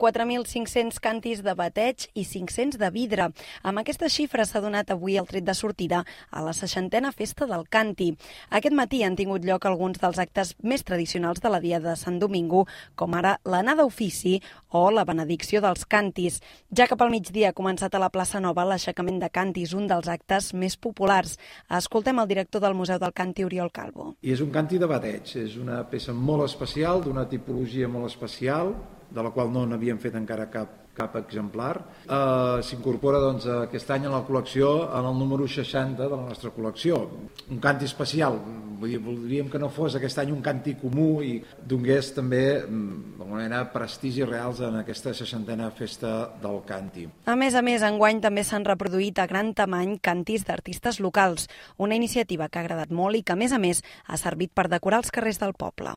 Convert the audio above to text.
4.500 cantis de bateig i 500 de vidre. Amb aquesta xifra s'ha donat avui el tret de sortida a la 60a Festa del Canti. Aquest matí han tingut lloc alguns dels actes més tradicionals de la Diada de Sant Domingo, com ara l'anada a ofici o la benedicció dels cantis. Ja cap al migdia ha començat a la plaça Nova l'aixecament de cantis, un dels actes més populars. Escoltem el director del Museu del Canti, Oriol Calvo. I és un canti de bateig, és una peça molt especial, d'una tipologia molt especial, de la qual no n'havíem fet encara cap exemplar. S'incorpora aquest any a la col·lecció, en el número 60 de la nostra col·lecció. Un canti especial, voldríem que no fos aquest any un canti comú i donés també d'alguna manera prestigis reals en aquesta 60a Festa del Canti. A més, enguany també s'han reproduït a gran tamany cantis d'artistes locals, una iniciativa que ha agradat molt i que, a més, ha servit per decorar els carrers del poble.